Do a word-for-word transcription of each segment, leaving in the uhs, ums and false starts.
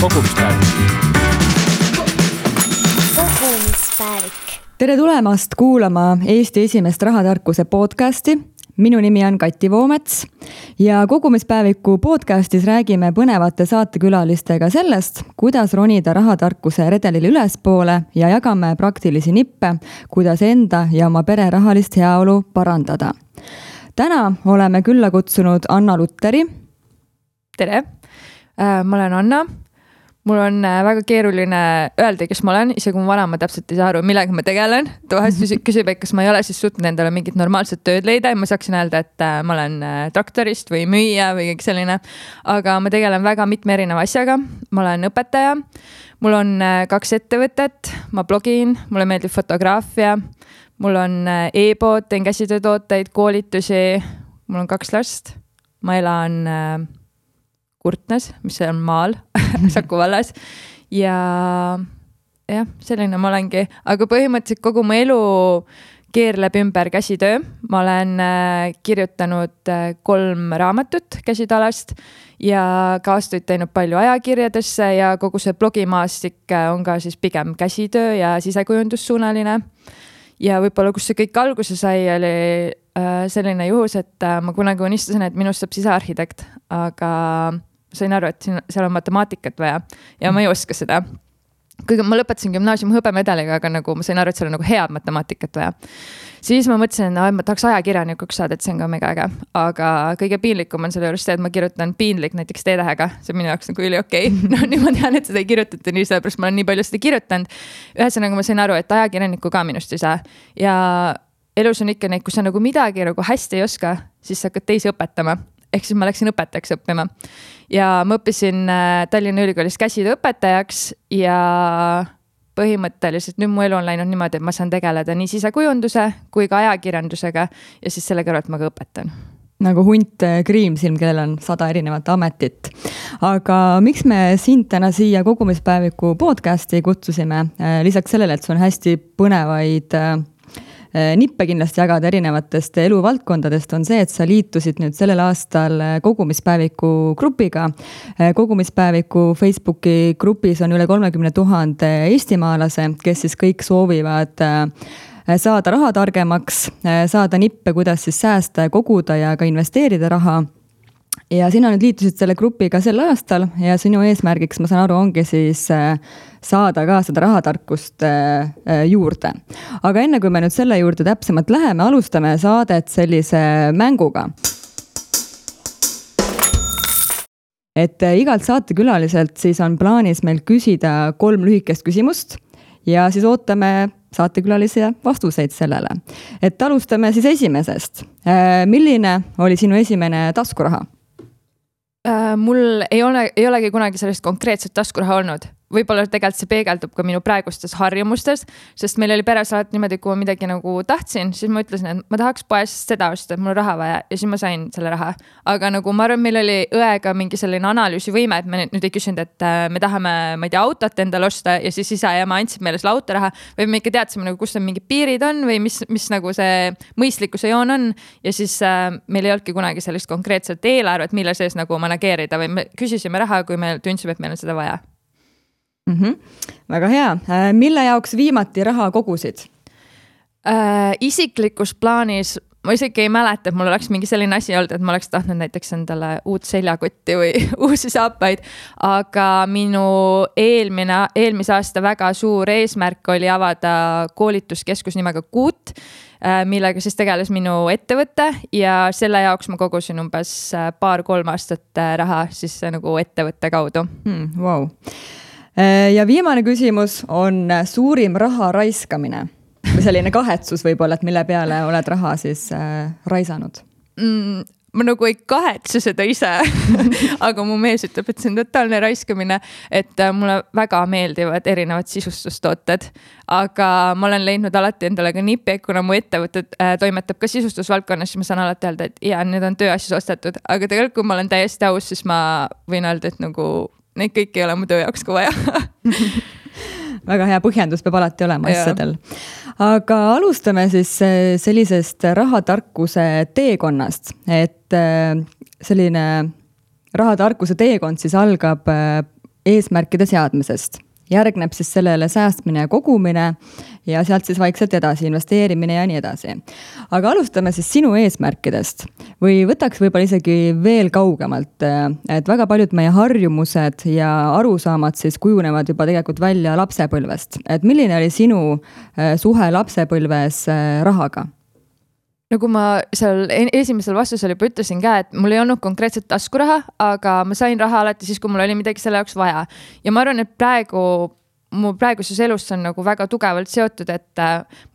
kogumispäevik. kogumispäevik. Tere tulemast kuulama Eesti esimest rahatarkuse podcasti. Minu nimi on Kati Voomets ja kogumispäeviku podcastis räägime põnevate saatekülalistega sellest, kuidas ronida rahatarkuse redelil ülespoole ja jagame praktilisi nippe, kuidas enda ja oma pere rahalist heaolu parandada. Täna oleme külla kutsunud Anna Lutteri. Tere, ma olen Anna. Mul on väga keeruline öelda, kes ma olen, isegi kui mu vanema täpselt ei saa aru, millega ma tegelen. Ta vahest küsib, et kas ma ei ole siis suutnud endale mingit normaalset tööd leida ja ma saaksin öelda, et ma olen traktorist või müüja või kõik selline. Aga ma tegelen väga mitme erineva asjaga. Ma olen õpetaja, mul on kaks ettevõtet, ma blogin, mulle meeldib fotograafia, mul on e-pood, teen käsitöötooteid, koolitusi, mul on kaks last, ma elan Kurtnes, mis on maal, Saku vallas ja jah, selline ma olengi, aga põhimõtteliselt kogu mu elu keerleb ümber käsitöö. Ma olen kirjutanud kolm raamatut käsitalast ja ka aastaid teinud palju ajakirjadesse ja kogu see blogimaastik on ka siis pigem käsitöö ja sisekujundussuunaline. Ja võib-olla, kus see kõik alguse sai, oli selline juhus, et ma kunagi unistasin, et minust saab sisearhitekt, aga sain aru, et seal on matemaatikat vaja ja ma ei oska seda. Kui ma lõpetasin gümnaasiumi hõbemedaliga, aga nagu ma sain aru, et seal on nagu head matemaatikat vaja. Siis ma mõtlesin, et ma tahaks ajakirjanikuks saada, et see on ka mega äge. Aga kõige piinlikum on selle juures see, et ma kirjutan piinlik näiteks T-tähega. See on minu jaoks nagu üli okei. No nii ma tean, et seda ei kirjutata nii, sellepärast ma olen nii palju seda kirjutanud. Ühesõnaga ma sain aru, et ajakirjaniku ka minust ei saa. Ja elus on ikka neid, kui sa nagu midagi nagu hästi ei oska, siis sa hakkad teisi õpetama. Ehk siis ma läksin õpetajaks õppima ja ma õppisin Tallinna Ülikoolis käsitööõpetajaks ja põhimõtteliselt nüüd mu elu on läinud niimoodi, et ma saan tegeleda nii sisekujunduse kui ka ajakirjandusega ja siis selle kõrvalt ma ka õpetan. Nagu hunt Kriimsilm, kellel on sada erinevat ametit. Aga miks me sind täna siia kogumispäeviku podcasti kutsusime? Lisaks sellele, et see on hästi põnevaid nippe kindlasti jagada erinevatest eluvaldkondadest, on see, et sa liitusid nüüd sellel aastal kogumispäeviku grupiga. Kogumispäeviku Facebooki grupis on üle kolmekümne tuhande eestimaalase, kes siis kõik soovivad saada raha targemaks, saada nippe, kuidas siis säästa ja koguda ja ka investeerida raha. Ja sina nüüd liitusid selle grupiga sel aastal ja sinu eesmärgiks, ma saan aru, ongi siis saada ka seda rahatarkust juurde. Aga enne kui me nüüd selle juurde täpsemalt läheme, alustame saadet sellise mänguga. Et igalt saatekülaliselt siis on plaanis meil küsida kolm lühikest küsimust ja siis ootame saatekülalise vastuseid sellele. Et alustame siis esimesest. Milline oli sinu esimene taskuraha? Mul ei ole, ei olegi kunagi sellist konkreetset taskuraha olnud. Võib-olla tegelikult see peegeldub ka minu praegustes harjumustes, sest meil oli peres alati niimoodi, kui ma midagi nagu tahtsin, siis ma ütlesin, et ma tahaks poest seda osta, et mul on raha vaja ja siis ma sain selle raha. Aga nagu ma arvan, meil oli õega mingi selline analüüsivõime, et me nüüd ei küsinud, et me tahame, ma ei tea, autot endale osta ja siis isa ja ma andsid meile selle autoraha või me ikka teadsime, nagu, kus on mingid piirid on või mis, mis nagu see mõistlikkuse joon on ja siis äh, meil ei olnudki kunagi sellist konkreetset eelarvet, mille sees nagu manageerida või me küsisime raha, kui me tundsime, et meil on seda vaja. Mm-hmm. Väga hea. Mille jaoks viimati raha kogusid? Äh, isiklikus plaanis ma isegi ei mäleta, et mul oleks mingi selline asi olnud, et ma oleks tahtnud näiteks endale uut seljakotti või uusi saapaid, aga minu eelmine, eelmise aasta väga suur eesmärk oli avada koolituskeskus nimega Kuut, millega siis tegeles minu ettevõte ja selle jaoks ma kogusin umbes paar-kolm aastat raha siis nagu ettevõtte kaudu. Hmm, wow. Ja viimane küsimus on suurim raha raiskamine. Või selline kahetsus võib-olla, et mille peale oled raha siis äh, raisanud? Mm, ma nagu ei kahetse seda ise, aga mu mees ütleb, et see on totaalne raiskamine, et äh, mulle väga meeldivad erinevad sisustustooted, aga ma olen leidnud alati endale ka nipi, kuna mu ettevõtted äh, toimetab ka sisustusvaldkonnas, siis ma saan alati öelda, et jaa, need on tööasjus ostetud, aga tegelikult kui ma olen täiesti aus, siis ma võin öelda, et nagu neid kõik ei ole mu töö jaoks ka vaja. Väga hea põhjendus peab alati olema asjadel. Aga alustame siis sellisest rahatarkuse teekonnast, et selline rahatarkuse teekond siis algab eesmärkide seadmisest. Järgneb siis sellele säästmine ja kogumine ja sealt siis vaikselt edasi investeerimine ja nii edasi. Aga alustame siis sinu eesmärkidest või võtaks võib-olla isegi veel kaugemalt, et väga paljud meie harjumused ja arusaamad siis kujunevad juba tegelikult välja lapsepõlvest. Et milline oli sinu suhe lapsepõlves rahaga? Nagu ma seal esimesel vastusel juba ütlesin ka, et mul ei olnud konkreetset taskuraha, aga ma sain raha alati siis, kui mul oli midagi selle jaoks vaja. Ja ma arvan, et praegu, mu praeguses elus on nagu väga tugevalt seotud, et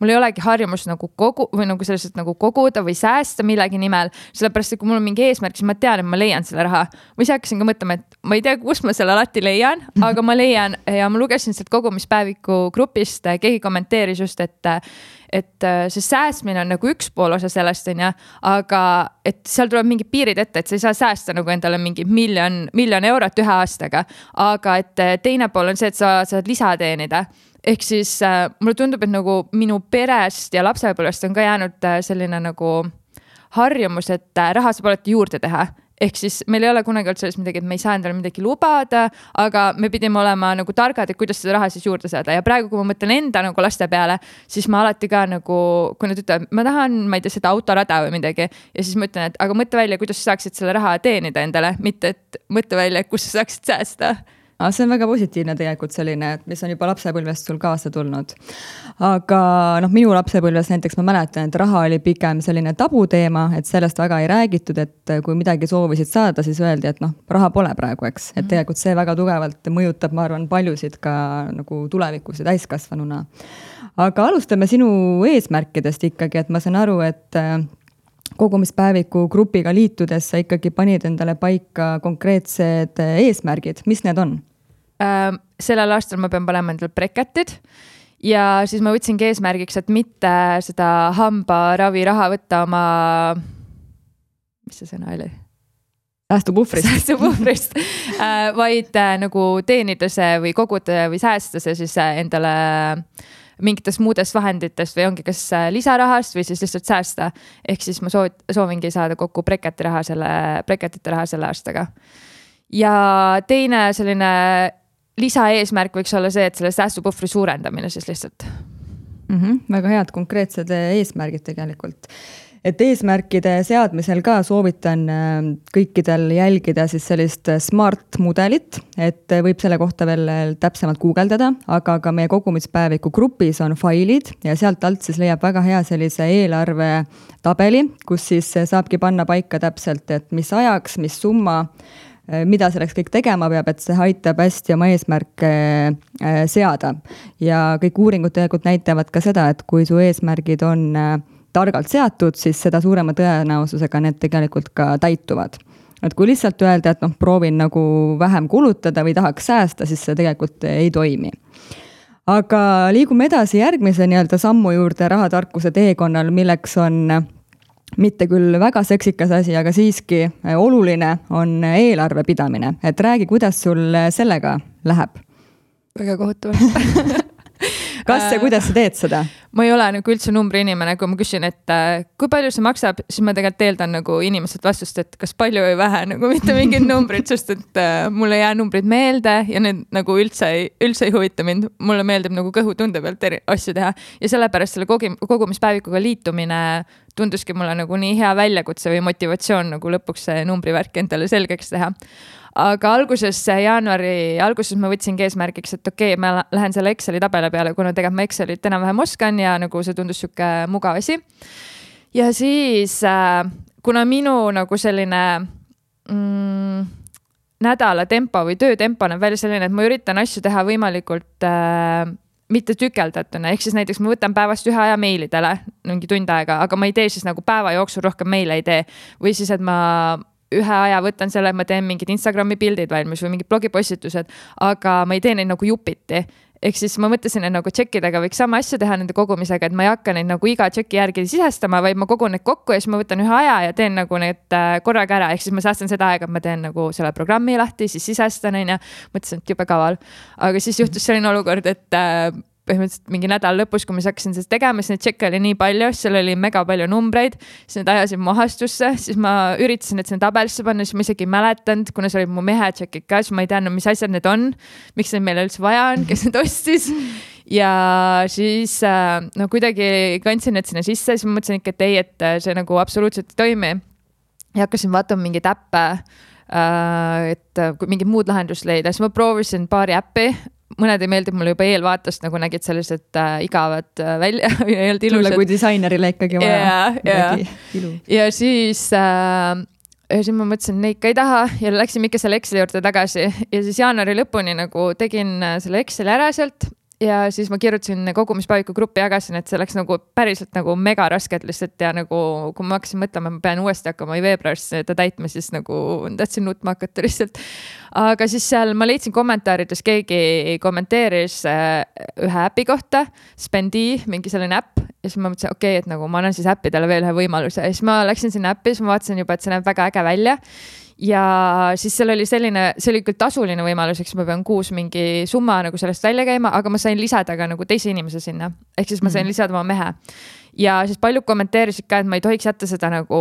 mul ei olegi harjumus nagu kogu või nagu selliselt nagu koguda või säästa millegi nimel. Sellepärast, et kui mul on mingi eesmärk, siis ma tean, et ma leian selle raha. Või siis hakkasin ka mõtlema, et ma ei tea, kus ma selle alati leian, aga ma leian ja ma lugesin sealt kogumispäeviku grupist, keegi kommenteeris just, et et see säästmine on nagu üks pool osa sellest, on ja, aga et seal tuleb mingi piirid ette, et sa ei saa säästa nagu endale mingi miljon, miljon eurot ühe aastaga, aga et teine pool on see, et sa saad lisa teenida. Ehk siis äh, mulle tundub, et nagu minu perest ja lapsepõlvest on ka jäänud selline nagu harjumus, et raha saab alati juurde teha. Ehk siis meil ei ole kunagi olnud selles midagi, et me ei saa endale midagi lubada, aga me pidime olema nagu targad, et kuidas seda raha siis juurde saada. Ja praegu, kui ma mõtlen enda nagu laste peale, siis ma alati ka nagu, kui nad ütlevad, ma tahan, ma ei tea, seda autorada või midagi. Ja siis ma ütlen, et aga mõtle välja, kuidas sa saaksid selle raha teenida endale, mitte et mõtle välja, kus sa saaksid säästa. See on väga positiivne tegelikult selline, mis on juba lapsepõlvest sul kaasa tulnud. Aga noh, minu lapsepõlves näiteks ma mäletan, et raha oli pigem selline tabuteema, et sellest väga ei räägitud, et kui midagi soovisid saada, siis öeldi, et noh, raha pole praegu, eks. Et tegelikult see väga tugevalt mõjutab, ma arvan, paljusid ka nagu tulevikus ja täiskasvanuna. Aga alustame sinu eesmärkidest ikkagi, et ma saan aru, et kogumispäeviku grupiga liitudes sa ikkagi panid endale paika konkreetsed eesmärgid. Mis need on? Äh, sellel aastal ma pean panema endale breketid ja siis ma võtsingi eesmärgiks, et mitte seda hambaravi raha võtta oma, mis see sõna oli? Säästupuhvrist. Säästupuhvrist, äh, vaid äh, nagu teenida see või koguda või säästa see siis endale mingitest muudest vahenditest või ongi kas lisarahast või siis lihtsalt säästa. Ehk siis ma soovit, soovingi saada kokku breketi raha selle, breketite raha selle aastaga. Ja teine selline lisaeesmärk võiks olla see, et selle säästupuhvri suurendamine siis lihtsalt. Mm-hmm, väga head konkreetsed eesmärgid tegelikult. Et eesmärkide seadmisel ka soovitan kõikidel jälgida siis sellist smart mudelit, et võib selle kohta veel täpsemalt guugeldada, aga ka meie kogumispäeviku grupis on failid ja sealt alt siis leiab väga hea sellise eelarve tabeli, kus siis saabki panna paika täpselt, et mis ajaks, mis summa, mida selleks kõik tegema peab, et see aitab hästi oma eesmärke seada. Ja kõik uuringud tegelikult näitavad ka seda, et kui su eesmärgid on targalt seatud, siis seda suurema tõenäosusega need tegelikult ka täituvad. Et kui lihtsalt öelda, et noh, proovin nagu vähem kulutada või tahaks säästa, siis see tegelikult ei toimi. Aga liigume edasi järgmise nii-öelda sammu juurde rahatarkuse teekonnal, milleks on mitte küll väga seksikas asi, aga siiski oluline on eelarve pidamine. Et räägi, kuidas sul sellega läheb? Väga kohutavalt. Kas ja kuidas sa teed seda? Ma ei ole nagu üldse numbri inimene, kui ma küsin, et kui palju see maksab, siis ma tegelikult eeldan nagu inimesed vastust, et kas palju või vähe, nagu mitte mingid numbrid, sest et mulle jää numbrid meelde ja need nagu üldse ei, üldse ei huvita mind. Mulle meeldib nagu kõhutunde pealt eri asju teha ja sellepärast selle kogumispäevikuga liitumine tunduski mulle nagu nii hea väljakutse või motivatsioon nagu lõpuks see numbrivärk endale selgeks teha. Aga alguses, jaanuari alguses ma võtsingi eesmärgiks, et okei, okay, ma lähen selle Exceli tabele peale, kuna tegelikult ma Excelit enam-vähem oskan ja nagu see tundus siuke mugav asi. Ja siis, kuna minu nagu selline mm, nädala tempo või töötempo on välja selline, et ma üritan asju teha võimalikult äh, mitte tükeldatuna, ehk siis näiteks ma võtan päevast ühe aja meilidele mingi tund aega, aga ma ei tee siis nagu päeva jooksul rohkem meile ei tee või siis, et ma ühe aja võtan selle, et ma teen mingid Instagrami pildid valmis või mingid blogipostitused, aga ma ei tee neid nagu jupiti. Ehk siis ma mõtlesin, et nagu tšekkidega võiks sama asja teha nende kogumisega, et ma ei hakka neid nagu iga tšeki järgi sisestama, vaid ma kogun need kokku ja siis ma võtan ühe aja ja teen nagu need korraga ära. Ehk siis ma säästan seda aega, et ma teen nagu selle programmi lahti, siis sisestan ja mõtlesin, et jube kaval. Aga siis juhtus selline olukord, et põhimõtteliselt mingi nädal lõpus, kui ma hakkasin seda tegema, siis neid tšekke oli nii palju, seal oli mega palju numbreid, siis need ajasid mu ahastusse, siis ma üritasin, et sinna tabelisse panna, siis ma isegi ei mäletanud, kuna see oli mu mehe tšekid ka, siis ma ei teadnud, mis asjad need on, miks neid meile üldse vaja on, kes need ostis. Ja siis no kuidagi kandsin need sinna sisse, siis ma mõtlesin ikka, et ei, et see nagu absoluutselt ei toimi. Ja hakkasin vaatama mingi täppe, et kui mingi muud lahendust leida, siis ma proovisin paari äppi, mõned ei meeldib mulle juba eelvaatast, nagu nägid sellised äh, igavad äh, välja ja ei olnud ilusad. Kui disainerile ikkagi vaja yeah, yeah. ilu. Ja siis, äh, ja siis ma mõtlesin, neid ka ei taha ja läksin ikka selle Exceli juurde tagasi ja siis jaanuari lõpuni nagu tegin selle Exceli ära sealt ja siis ma kirjutasin kogumispäeviku gruppi, jagasin, et see läks nagu päriselt nagu mega raskelt lihtsalt ja nagu kui ma hakkasin mõtlema, ma pean uuesti hakkama veebruaris seda täitma, siis nagu tahtsin nutma hakata lihtsalt. Aga siis seal ma leidsin kommentaarides, keegi kommenteeris ühe äpi kohta, Spendi, mingi selline äpp ja siis ma mõtlesin, okei, okay, et nagu ma annan siis äppidele veel ühe võimaluse ja siis ma läksin sinna äppi, siis ma vaatasin juba, et see näeb väga äge välja. Ja siis seal oli selline, see oli küll tasuline võimalus, eks ma pean kuus mingi summa nagu sellest välja käima, aga ma sain lisada ka nagu teise inimese sinna. Ehk siis ma sain lisada oma mehe. Ja siis paljud kommenteerisid ka, et ma ei tohiks jätta seda nagu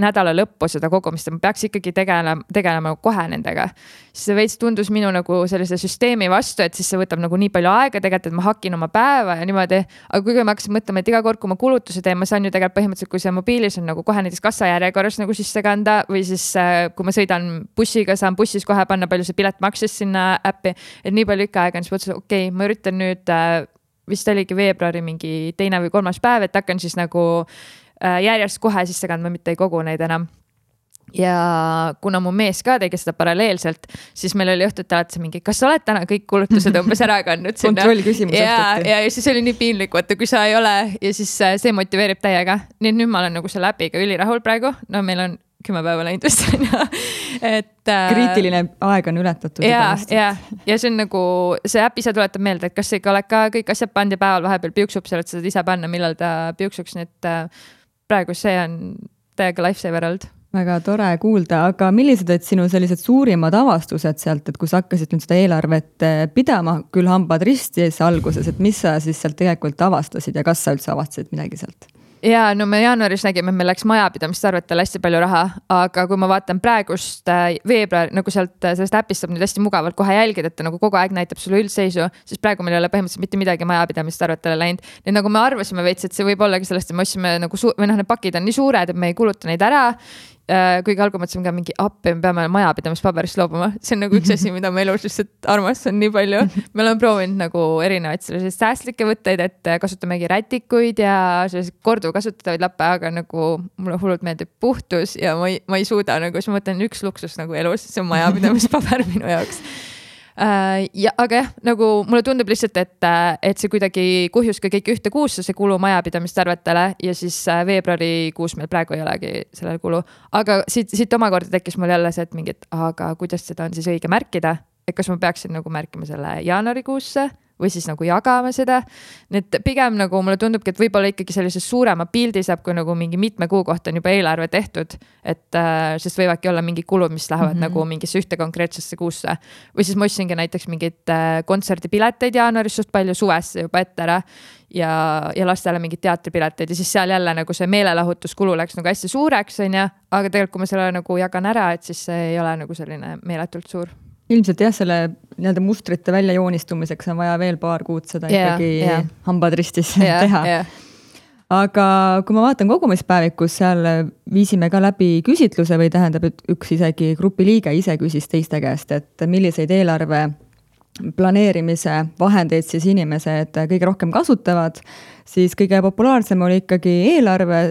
nädala lõppu seda kogumist, ma peaks ikkagi tegelema, tegelema kohe nendega. Siis see veits tundus minu nagu sellise süsteemi vastu, et siis see võtab nagu nii palju aega tegelikult, et ma hakin oma päeva ja niimoodi. Aga kui ma hakkasin mõtlema, et iga kord, kui ma kulutuse teen, ma saan ju tegelikult põhimõtteliselt, kui see mobiilis on nagu kohe näiteks kassajärjekorras nagu sisse kanda või siis kui ma sõidan bussiga, saan bussis kohe panna palju see pilet maksis sinna äppi, et nii palju ikka aega on, siis mõtlesin, okei, okay, ma üritan nüüd vist oligi veebruari mingi teine või kolmas päev, et hakkan siis nagu järjest kohe sisse kandma, mitte ei kogu neid enam. Ja kuna mu mees ka tegi seda paralleelselt, siis meil oli õhtut alati mingi, kas sa oled täna kõik kulutused umbes ära kandnud sinna? Kontroll küsimus ja, ja, ja siis oli nii piinlik, vaata, kui sa ei ole ja siis see motiveerib täiega. Nii et nüüd ma olen nagu selle äpiga ülirahul praegu. No meil on kümme päeva läinud vist on ja et kriitiline aeg on ületatud. Ja, ja, ja see on nagu see äpp ise tuletab meelde, et kas sa ikka oled ka kõik asjad pandi päeval vahepeal piuksub, sa oled seda ise panna, millal ta piuksuks, nii et praegu see on täiega lifesaver olnud. Väga tore kuulda, aga millised olid sinu sellised suurimad avastused sealt, et kui sa hakkasid nüüd seda eelarvet pidama, küll hambad ristis alguses, et mis sa siis sealt tegelikult avastasid ja kas sa üldse avastasid midagi sealt? Ja no me jaanuaris nägime, et meil läks majapidamist arvetele hästi palju raha, aga kui ma vaatan praegust veebruar, nagu sealt sellest äpist saab nüüd hästi mugavalt kohe jälgida, et ta nagu kogu aeg näitab sulle üldseisu, siis praegu meil ei ole põhimõtteliselt mitte midagi majapidamist arvetele läinud. Nii nagu me arvasime veits, et see võib ollagi sellest, et me otsime nagu su- või noh, need pakid on nii suured, et me ei kuluta neid ära. Kuigi algu mõtlesime ka mingi appi, me peame majapidamispaberist loobuma. See on nagu üks asi, mida ma elus lihtsalt armastan nii palju. Me oleme proovinud nagu erinevaid selliseid säästlikke võtteid, et kasutamegi rätikuid ja selliseid kordu kasutatavaid lappe, aga nagu mulle hullult meeldib puhtus ja ma ei, ma ei suuda nagu, siis ma mõtlen üks luksus nagu elus, see on majapidamispaber minu jaoks. Ja, aga jah, nagu mulle tundub lihtsalt, et, et see kuidagi kuhjus ka kõik ühte kuusse, see kulu majapidamist arvetele ja siis veebruari kuus meil praegu ei olegi sellel kulu. Aga siit, siit omakorda tekkis mul jälle see, et mingi, et aga kuidas seda on siis õige märkida, et kas ma peaksin nagu märkima selle jaanuari kuusse või siis nagu jagama seda. Need pigem nagu mulle tundubki, et võib-olla ikkagi sellise suurema pildi saab, kui nagu mingi mitme kuu kohta on juba eelarve tehtud, et äh, sest võivadki olla mingi kulud, mis lähevad mm-hmm. nagu mingisse ühte konkreetsesse kuusse. Või siis ma ostsingi näiteks mingid äh, kontserdipileteid jaanuaris suht palju suvesse juba ette ära ja, ja lastele mingid teatripileteid ja siis seal jälle nagu see meelelahutuskulu läks nagu hästi suureks, on ja, aga tegelikult kui ma selle nagu jagan ära, et siis see ei ole nagu selline meeletult suur. Ilmselt jah, selle nii-öelda mustrite välja joonistumiseks on vaja veel paar kuud seda yeah, ikkagi yeah. hambad ristis yeah, teha. Yeah. Aga kui ma vaatan kogumispäevikus, seal viisime ka läbi küsitluse või tähendab, et üks isegi grupi liige ise küsis teiste käest, et milliseid eelarve planeerimise vahendeid siis inimesed kõige rohkem kasutavad, siis kõige populaarsem oli ikkagi eelarve,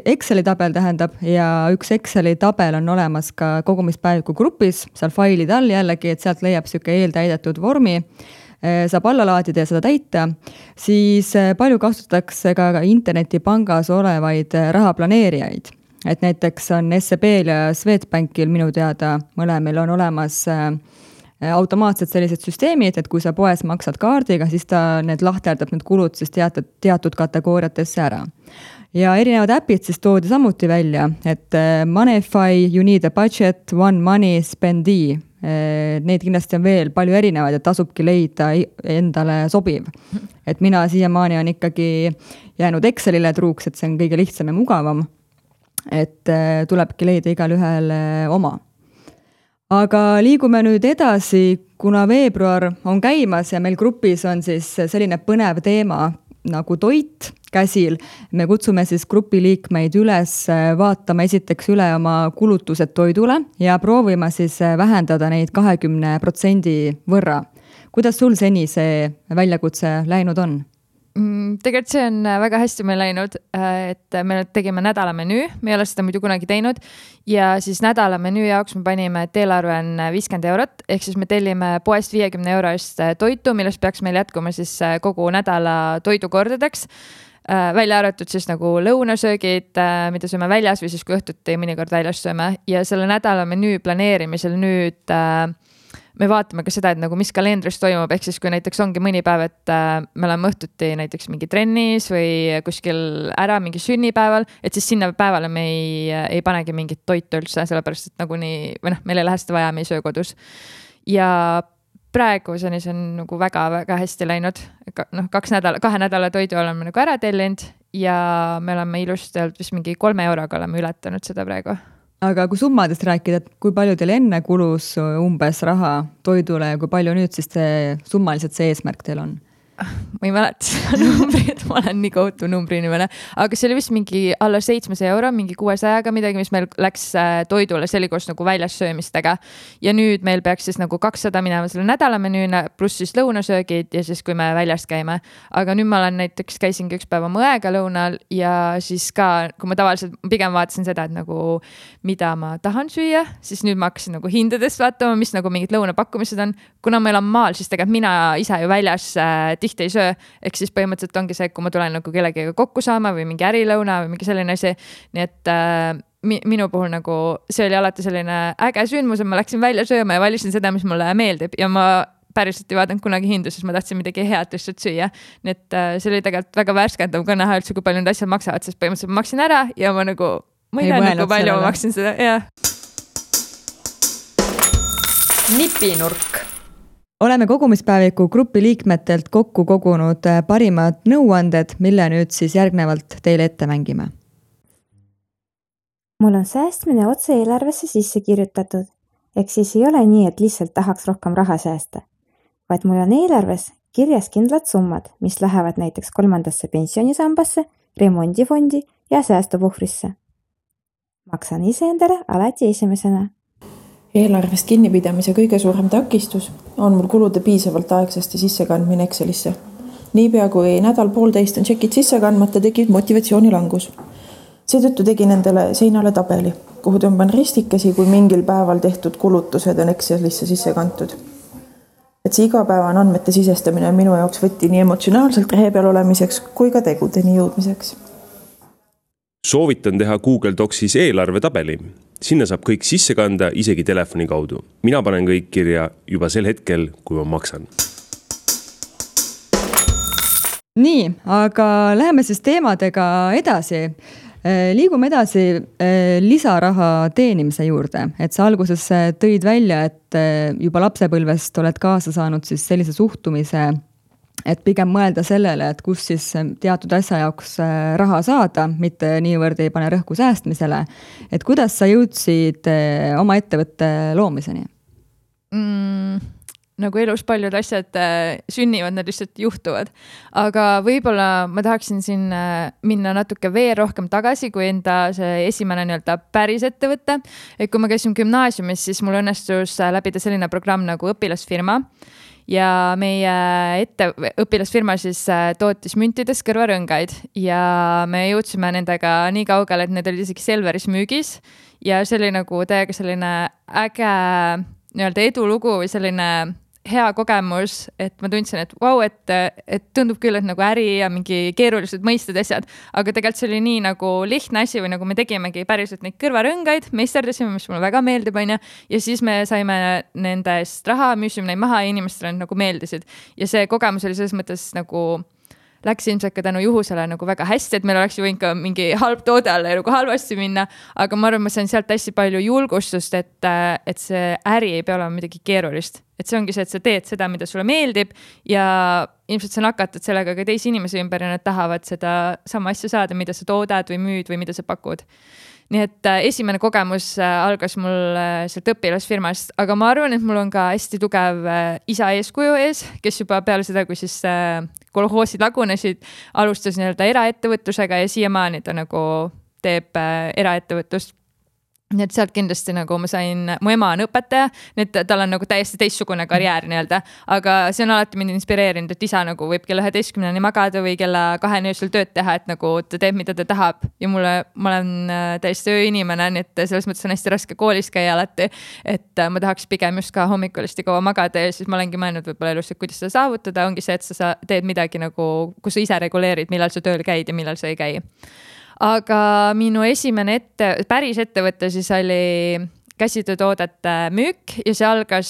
Exceli tabel tähendab ja üks Exceli tabel on olemas ka kogumispäeviku grupis, seal failide all jällegi, et sealt leiab siuke eeltäidetud vormi, saab alla laadida ja seda täita, siis palju kasutatakse ka internetipangas olevaid rahaplaneerijaid. Et näiteks on S E B-l ja Swedbankil minu teada mõlemil on olemas automaatsed sellised süsteemid, et kui sa poes maksad kaardiga, siis ta need lahterdab need kulud siis teatud, teatud kategooriatesse ära. Ja erinevad äpid siis toodi samuti välja, et Moneyfy, You Need a Budget, One Money, Spendi, Neid kindlasti on veel palju erinevaid, et tasubki leida endale sobiv. Et mina siiamaani on ikkagi jäänud Excelile truuks, et see on kõige lihtsam ja mugavam. Et tulebki leida igal ühel oma. Aga liigume nüüd edasi, kuna veebruar on käimas ja meil grupis on siis selline põnev teema nagu toit käsil. Me kutsume siis grupi liikmeid üles vaatama esiteks üle oma kulutused toidule ja proovima siis vähendada neid kahekümne protsendi võrra. Kuidas sul seni see väljakutse läinud on? Tegelikult see on väga hästi meil läinud, et me tegime nädala menüü, me ei ole seda muidu kunagi teinud ja siis nädala menüü jaoks me panime, et eelarve on viiskümmend eurot, ehk siis me tellime poest viiekümne euro eest toitu, millest peaks meil jätkuma siis kogu nädala toidukordadeks, välja arvatud siis nagu lõunasöögid, mida sööme väljas või siis kui õhtuti mõnikord väljas sööme ja selle nädala menüü planeerimisel nüüd me vaatame ka seda, et nagu mis kalendris toimub, ehk siis kui näiteks ongi mõni päev, et me oleme õhtuti näiteks mingi trennis või kuskil ära mingi sünnipäeval, et siis sinna päevale me ei, ei panegi mingit toitu üldse, sellepärast et nagu nii, või noh, meil ei lähe seda vaja, me ei söö kodus. Ja praegu see on nagu väga-väga hästi läinud, noh, kaks nädala, kahe nädala toidu oleme nagu ära tellinud ja me oleme ilusti olnud vist mingi kolme euroga oleme ületanud seda praegu. Aga kui summadest rääkida, et kui palju teil enne kulus umbes raha toidule ja kui palju nüüd siis see, summaliselt see eesmärk teil on? Ma ei mäleta seda numbrit, ma olen nii kohtu numbri inimene, aga see oli vist mingi alla seitsmesaja euro, mingi kuuesajaga midagi, mis meil läks toidule, see oli koos nagu väljas söömistega. Ja nüüd meil peaks siis nagu kakssada minema selle nädala menüüna, pluss siis lõunasöögid ja siis kui me väljas käime. Aga nüüd ma olen näiteks käisingi üks päeva mõega lõunal ja siis ka, kui ma tavaliselt pigem vaatasin seda, et nagu mida ma tahan süüa, siis nüüd ma hakkasin nagu hindadest vaatama, mis nagu mingid lõunapakkumised on. Kuna meil on maal, siis tegelikult mina ise ju väljas tihti ei söö, ehk siis põhimõtteliselt ongi see, kui ma tulen nagu kellegiga kokku saama või mingi ärilõuna või mingi selline asi, nii et äh, minu puhul nagu see oli alati selline äge sündmus, et ma läksin välja sööma ja valisin seda, mis mulle meeldib ja ma päriselt ei vaadanud kunagi hindu, sest ma tahtsin midagi head lihtsalt süüa, nii et äh, see oli tegelikult väga värskendav ka näha üldse, kui palju need asjad maksavad, sest põhimõtteliselt ma maksin ära ja ma nagu ma ei tea nagu palju ma maksin seda, jah. Nipinurk. Oleme kogumispäeviku grupi liikmetelt kokku kogunud parimad nõuanded, mille nüüd siis järgnevalt teile ette mängime. Mul on säästmine otse eelarvesse sisse kirjutatud, ehk siis ei ole nii, et lihtsalt tahaks rohkem raha säästa, vaid mul on eelarves kirjas kindlad summad, mis lähevad näiteks kolmandasse pensionisambasse, remondifondi ja säästupuhvrisse. Maksan ise endale alati esimesena. Eelarvest kinnipidamise kõige suurem takistus on mul kulude piisavalt aegsasti sissekandmine Excelisse. Niipea kui nädal poolteist on tšekid sisse kandmata, tekib motivatsioonilangus. Seetõttu tegin endale seinale tabeli, kuhu tõmban ristikesi, kui mingil päeval tehtud kulutused on Excelisse sisse kantud. Et see igapäevane andmete sisestamine on minu jaoks võtti nii emotsionaalselt rehe peal olemiseks kui ka tegudeni jõudmiseks. Soovitan teha Google Docsis eelarve tabeli. Sinna saab kõik sisse kanda isegi telefoni kaudu. Mina panen kõik kirja juba sel hetkel, kui ma maksan. Nii, aga läheme siis teemadega edasi. Liigume edasi lisaraha teenimise juurde. Et sa alguses tõid välja, et juba lapsepõlvest oled kaasa saanud siis sellise suhtumise, et pigem mõelda sellele, et kus siis teatud asja jaoks raha saada, mitte niivõrd ei pane rõhku säästmisele. Et kuidas sa jõudsid oma ettevõtte loomiseni? Mm, nagu elus paljud asjad sünnivad, need lihtsalt juhtuvad. Aga võib-olla ma tahaksin siin minna natuke veel rohkem tagasi, kui enda see esimene nii-öelda päris ettevõtte. Et kui ma käisin gümnaasiumis, siis mul õnnestus läbida selline programm nagu õpilasfirma. Ja meie ette, õpilasfirma siis tootis müntides kõrvarõngaid ja me jõudsime nendega nii kaugele, et need olid isegi Selveris müügis ja see oli nagu täiega selline äge nii-öelda edulugu või selline hea kogemus, et ma tundsin, et vau, wow, et, et tundub küll, et nagu äri ja mingi keerulised mõisted asjad, aga tegelikult see oli nii nagu lihtne asi või nagu me tegimegi päriselt neid kõrvarõngaid, meisterdasime, mis mulle väga meeldib, on ja, ja siis me saime nendest raha, müüsime neid maha ja inimestele nagu meeldisid. Ja see kogemus oli selles mõttes nagu läks ilmselt ka tänu juhusele nagu väga hästi, et meil oleks ju võinud ka mingi halb toode alla ja nagu halvasti minna, aga ma arvan, ma sain sealt hästi palju julgustust, et, et see äri ei pea olema midagi keerulist. Et see ongi see, et sa teed seda, mida sulle meeldib ja ilmselt sa nakatad sellega ka teisi inimesi ümber ja nad tahavad seda sama asja saada, mida sa toodad või müüd või mida sa pakud. Nii et äh, esimene kogemus äh, algas mul äh, sealt õpilasfirmast, aga ma arvan, et mul on ka hästi tugev äh, isa eeskuju ees, kes juba peale seda, kui siis äh, kolhoosid lagunesid, alustas nii-öelda eraettevõtlusega ja siiamaani ta nagu teeb äh, eraettevõtlust. Nii et sealt kindlasti nagu ma sain, mu ema on õpetaja, nii et tal on nagu täiesti teistsugune karjäär nii-öelda, aga see on alati mind inspireerinud, et isa nagu võib kella üheteistkümneni magada või kella kaheni öösel tööd teha, et nagu ta teeb, mida ta tahab ja mulle, ma olen täiesti ööinimene, nii et selles mõttes on hästi raske koolis käia alati, et ma tahaks pigem just ka hommikulisesti kaua magada ja siis ma olengi mõelnud võib-olla elus, et kuidas seda saavutada, ongi see, et sa teed midagi nagu, kus sa ise reguleerid, millal sa tööl käid ja millal sa ei käi. Aga minu esimene ette, päris ettevõte siis oli käsitöötoodete müük ja see algas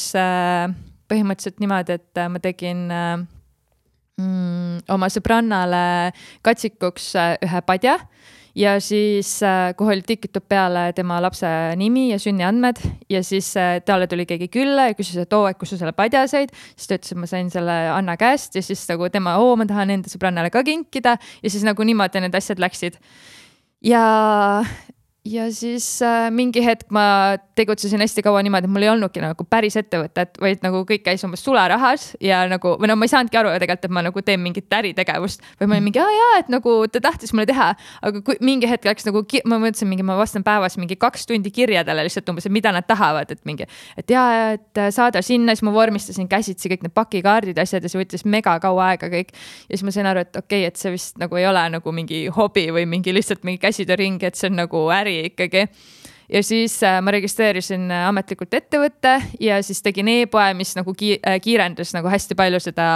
põhimõtteliselt niimoodi, et ma tegin mm, oma sõbrannale katsikuks ühe padja ja siis, kuhu oli tikitud peale tema lapse nimi ja sünniandmed ja siis talle tuli keegi külla ja küsis, et oo, et kus sa selle padja said, siis ta ütles, et ma sain selle Anna käest ja siis nagu tema, oo, ma tahan enda sõbrannale ka kinkida ja siis nagu niimoodi need asjad läksid. Ja, ja siis äh, mingi hetk ma tegutsesin hästi kaua niimoodi, et mul ei olnudki nagu päris ettevõtet, vaid nagu kõik käis umbes sularahas ja nagu, või no ma ei saanudki aru tegelikult, et ma nagu teen mingit äritegevust või ma olin mingi, aa jaa, et nagu ta tahtis mulle teha, aga kui mingi hetk läks nagu, ma mõtlesin mingi, ma vastan päevas mingi kaks tundi kirjadele lihtsalt umbes, mida nad tahavad, et mingi, et jaa, et saada sinna, siis ma vormistasin käsitsi kõik need pakikaardid asjad ja see võttis mega kaua aega kõik ja siis ma sain aru, et okei, et see vist nagu ei ole nagu mingi hobi või mingi lihtsalt mingi käsitööring, et see on nagu äri ikkagi. Ja siis ma registreerisin ametlikult ettevõtte ja siis tegin e-poe, mis nagu kiirendas nagu hästi palju seda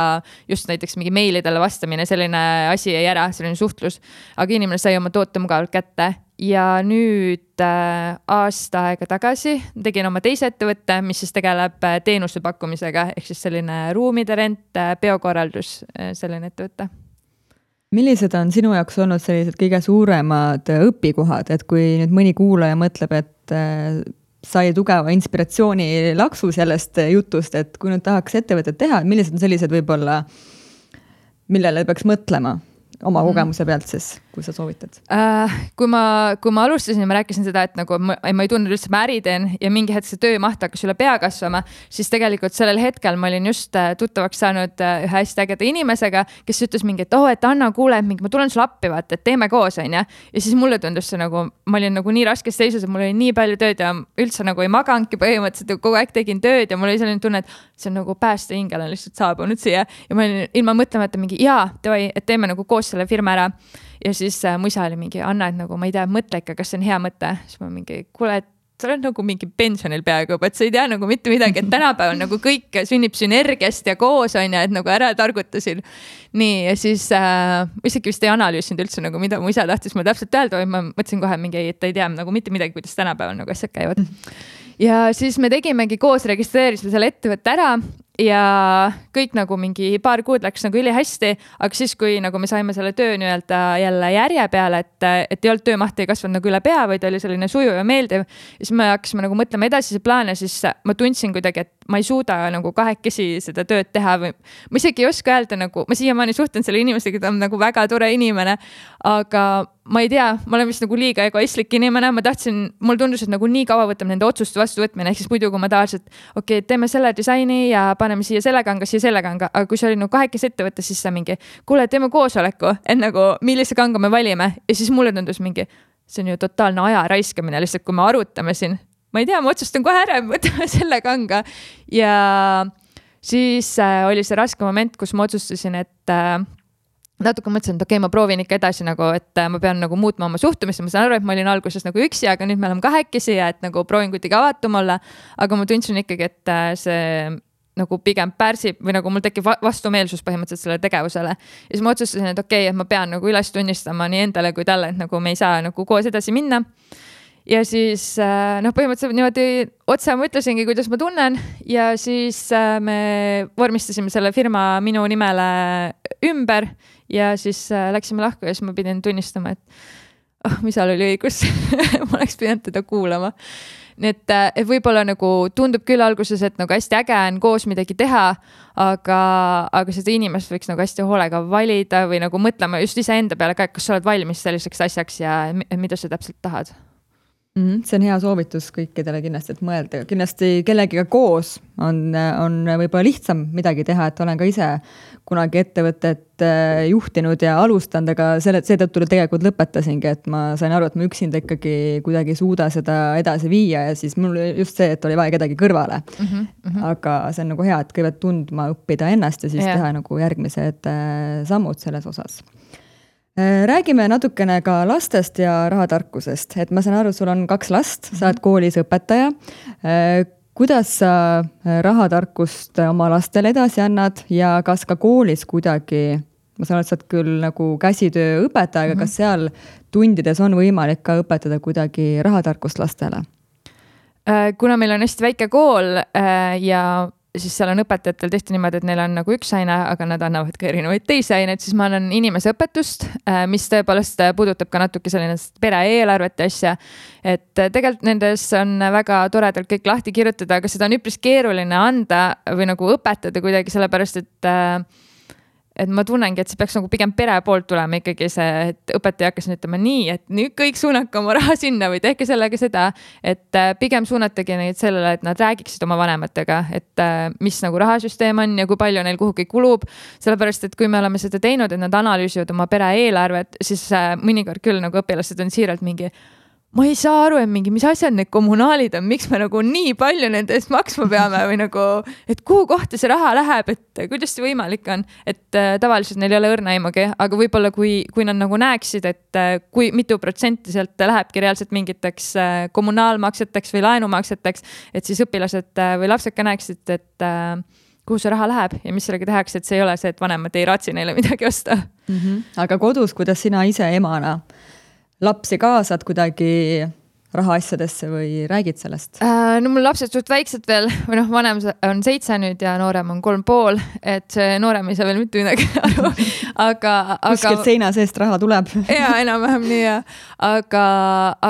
just näiteks mingi meilidele vastamine, selline asi jäi ära, selline suhtlus, aga inimene sai oma toote mugavalt kätte ja nüüd aasta aega tagasi tegin oma teise ettevõtte, mis siis tegeleb teenuse pakkumisega, ehk siis selline ruumide rent, biokorraldus, selline ettevõtte. Millised on sinu jaoks olnud sellised kõige suuremad õpikohad, et kui nüüd mõni kuulaja mõtleb, et sai tugeva inspiratsiooni laksu sellest jutust, et kui nüüd tahaks ettevõtet teha, millised on sellised võib-olla, millele peaks mõtlema oma kogemuse pealt siis, kui sa soovitad? Äh, kui, ma, kui ma alustasin ja ma rääkisin seda, et nagu ma, ma ei tundnud üldse, ma äri teen ja mingi hetk see töömaht hakkas üle pea kasvama, siis tegelikult sellel hetkel ma olin just tuttavaks saanud ühe hästi ägeda inimesega, kes ütles mingi, et oh, et Anna, kuule, mingi, ma tulen sulle appi, vaata, et teeme koos, on ja? Ja siis mulle tundus see nagu, ma olin nagu nii raskes seisus, et mul oli nii palju tööd ja üldse nagu ei maganudki põhimõtteliselt, kogu aeg tegin tööd ja mul oli selline tunne, et see on nagu pääste hingel on lihtsalt saabunud siia ja ma olin ilma mõtlemata mingi, jaa, tevai, et teeme nagu koos selle firma ära. Ja siis äh, mu isa oli mingi, Anna, et nagu ma ei tea, mõtle ikka, kas see on hea mõte. Siis ma mingi, kuule, et sa oled nagu mingi pensionil peaaegu, et sa ei tea nagu mitte midagi, et tänapäeval nagu kõik sünnib sünergiast ja koos on ja et nagu ära targutasin. Nii, ja siis äh, isegi vist ei analüüsinud üldse nagu mida mu isa tahtis mulle täpselt öelda, või ma mõtlesin kohe mingi, et ei tea nagu mitte midagi, kuidas tänapäeval nagu asjad käivad. Ja siis me tegimegi koos, registreerisime selle ettevõtte ära ja kõik nagu mingi paar kuud läks nagu üli hästi, aga siis, kui nagu me saime selle töö nii-öelda jälle järje peale, et, et ei olnud töömaht ei kasvanud nagu üle pea, vaid oli selline suju ja meeldiv, siis me hakkasime nagu mõtlema edasise plaane, siis ma tundsin kuidagi, et ma ei suuda nagu kahekesi seda tööd teha või ma isegi ei oska öelda nagu, ma siiamaani suhtlen selle inimesega, ta on nagu väga tore inimene, aga ma ei tea, ma olen vist nagu liiga egoistlik inimene, ma tahtsin, mul tundus, et nagu nii kaua võtab nende otsuste vastu võtmine, ehk siis muidu, kui ma tahaks, et okei, okay, teeme selle disaini ja paneme siia selle kanga, siia selle kanga, aga kui see oli nagu kahekes ettevõtte, siis sa mingi, kuule, teeme koosoleku, et nagu millise kanga me valime ja siis mulle tundus mingi, see on ju totaalne aja raiskamine, lihtsalt kui me arutame siin, ma ei tea, ma otsustan kohe ära, võtame selle kanga ja siis äh, oli see raske moment, kus ma otsustasin, et äh, natuke mõtlesin, et okei, okay, ma proovin ikka edasi nagu, et ma pean nagu muutma oma suhtumist, ma saan aru, et ma olin alguses nagu üksi, aga nüüd me oleme kahekesi ja et nagu proovin kuidagi avatum olla, aga ma tundsin ikkagi, et see nagu pigem pärsib või nagu mul tekib vastumeelsus põhimõtteliselt selle tegevusele. Ja siis ma otsustasin, et okei, okay, et ma pean nagu üles tunnistama nii endale kui talle, et nagu me ei saa nagu koos edasi minna. ja siis noh, põhimõtteliselt niimoodi otse ma ütlesingi, kuidas ma tunnen ja siis me vormistasime selle firma minu nimele ümber ja siis läksime lahku ja siis ma pidin tunnistama, et oh, mis seal oli õigus. Ma oleks pidanud teda kuulama. Nii et, et võib-olla nagu tundub küll alguses, et nagu hästi äge on koos midagi teha, aga, aga seda inimest võiks nagu hästi hoolega valida või nagu mõtlema just ise enda peale ka, et kas sa oled valmis selliseks asjaks ja mida sa täpselt tahad. Mm-hmm. See on hea soovitus kõikidele kindlasti, et mõelda. Kindlasti kellegiga koos on, on võib-olla lihtsam midagi teha, et olen ka ise kunagi ettevõtet juhtinud ja alustanud, aga selle, seetõttu tegelikult lõpetasingi, et ma sain aru, et ma üksinda ikkagi kuidagi suuda seda edasi viia ja siis mul just see, et oli vaja kedagi kõrvale. Mm-hmm, mm-hmm. Aga see on nagu hea, et kõigepealt tundma õppida ennast ja siis yeah. teha nagu järgmised sammud selles osas. Räägime natukene ka lastest ja rahatarkusest, et ma saan aru, sul on kaks last, sa oled koolis õpetaja. Kuidas sa rahatarkust oma lastele edasi annad ja kas ka koolis kuidagi, ma saan aru, et sa oled küll nagu käsitöö õpetaja, aga kas seal tundides on võimalik ka õpetada kuidagi rahatarkust lastele? Kuna meil on hästi väike kool ja siis seal on õpetajatel tehti niimoodi, et neil on nagu üks aine, aga nad annavad ka erinevaid teisi aineid, siis ma annan inimese õpetust, mis tõepoolest puudutab ka natuke selline pere eelarvet asja, et tegelikult nendes on väga toredalt kõik lahti kirjutada, aga seda on üpris keeruline anda või nagu õpetada kuidagi sellepärast, et et ma tunnengi, et see peaks nagu pigem pere poolt tulema ikkagi see, et õpetaja hakkas ütlema nii, et nüüd kõik suunake oma raha sinna või tehke sellega seda, et pigem suunatagi neid sellele, et nad räägiksid oma vanematega, et mis nagu rahasüsteem on ja kui palju neil kuhugi kulub, sellepärast, et kui me oleme seda teinud, et nad analüüsivad oma pere eelarvet, siis mõnikord küll nagu õpilased on siiralt mingi ma ei saa aru, et mingi, mis asjad need kommunaalid on, miks me nagu nii palju nende eest maksma peame või nagu, et kuhu kohta see raha läheb, et kuidas see võimalik on, et äh, tavaliselt neil ei ole õrna aimugi, aga võib-olla kui, kui nad nagu näeksid, et äh, kui mitu protsenti sealt lähebki reaalselt mingiteks äh, kommunaalmakseteks või laenumakseteks, et siis õpilased äh, või lapsed ka näeksid, et äh, kuhu see raha läheb ja mis sellega tehakse, et see ei ole see, et vanemad ei raatsi neile midagi osta. Mm-hmm. Aga kodus, kuidas sina ise emana lapsi kaasad kuidagi rahaasjadesse või räägid sellest? No mul lapsed suht väiksed veel, või noh, vanem on seitse nüüd ja noorem on kolm pool, et see noorem ei saa veel mitte midagi aru, aga... Kuskilt seina seest raha tuleb. Jaa, enam-vähem nii ja. Aga,